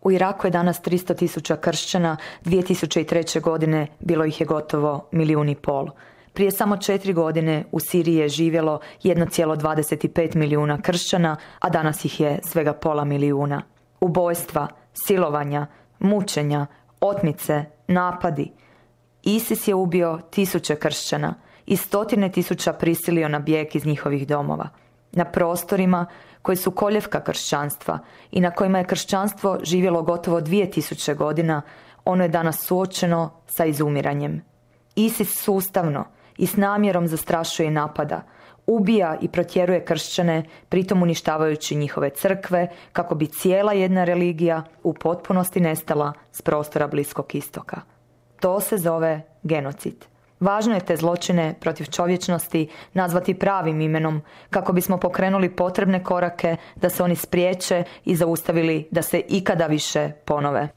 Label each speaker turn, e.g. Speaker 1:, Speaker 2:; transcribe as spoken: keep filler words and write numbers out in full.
Speaker 1: U Iraku je danas tristo tisuća kršćana, dvije tisuće treće. godine bilo ih je gotovo milijun i pol. Prije samo četiri godine u Siriji je živjelo jedan zarez dvadeset pet milijuna kršćana, a danas ih je svega pola milijuna. Ubojstva, silovanja, mučenja, otmice, napadi. ISIS je ubio tisuće kršćana i stotine tisuća prisilio na bijeg iz njihovih domova. Na prostorima koji su koljevka kršćanstva i na kojima je kršćanstvo živjelo gotovo dvije tisuće godina, ono je danas suočeno sa izumiranjem. ISIS sustavno i s namjerom zastrašuje i napada, ubija i protjeruje kršćane, pritom uništavajući njihove crkve, kako bi cijela jedna religija u potpunosti nestala s prostora Bliskog istoka. To se zove genocid. Važno je te zločine protiv čovječnosti nazvati pravim imenom, kako bismo pokrenuli potrebne korake da se oni spriječe i zaustavili da se ikada više ponove.